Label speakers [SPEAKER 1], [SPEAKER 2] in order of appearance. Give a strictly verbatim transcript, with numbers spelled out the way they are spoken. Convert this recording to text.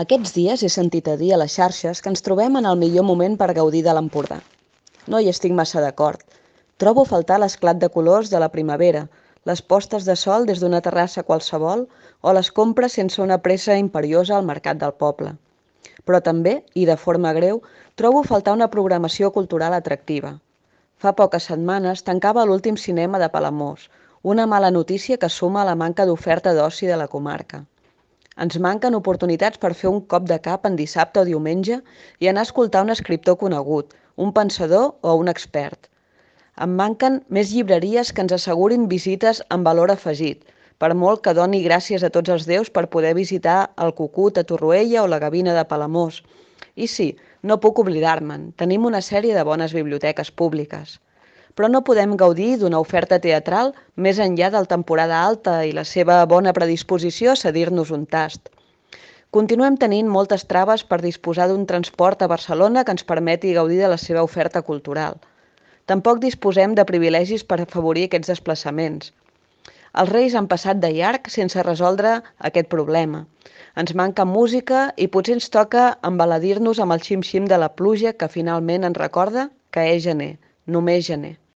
[SPEAKER 1] Aquests dies he sentit a dir a les xarxes que ens trobem en el millor moment per gaudir de l'Empordà. No hi estic massa d'acord. Trobo a faltar l'esclat de colors de la primavera, les postes de sol des d'una terrassa qualsevol o les compres sense una pressa imperiosa al mercat del poble. Però també, i de forma greu, trobo a faltar una programació cultural atractiva. Fa poques setmanes tancava l'últim cinema de Palamós, una mala notícia que suma a la manca d'oferta d'oci de la comarca. Ens manquen oportunitats per fer un cop de cap en dissabte o diumenge i anar a escoltar un escriptor conegut, un pensador o un expert. Em manquen més llibreries que ens assegurin visites amb valor afegit, per molt que doni gràcies a tots els déus per poder visitar el Cucut a Torroella o la Gavina de Palamós. I sí, no puc oblidar-me'n, tenim una sèrie de bones biblioteques públiques. Però no podem gaudir d'una oferta teatral més enllà del temporada alta i la seva bona predisposició a cedir-nos un tast. Continuem tenint moltes traves per disposar d'un transport a Barcelona que ens permeti gaudir de la seva oferta cultural. Tampoc disposem de privilegis per afavorir aquests desplaçaments. Els Reis han passat de llarg sense resoldre aquest problema. Ens manca música i potser ens toca embaladir-nos amb el xim-xim de la pluja que finalment ens recorda que és gener, només gener.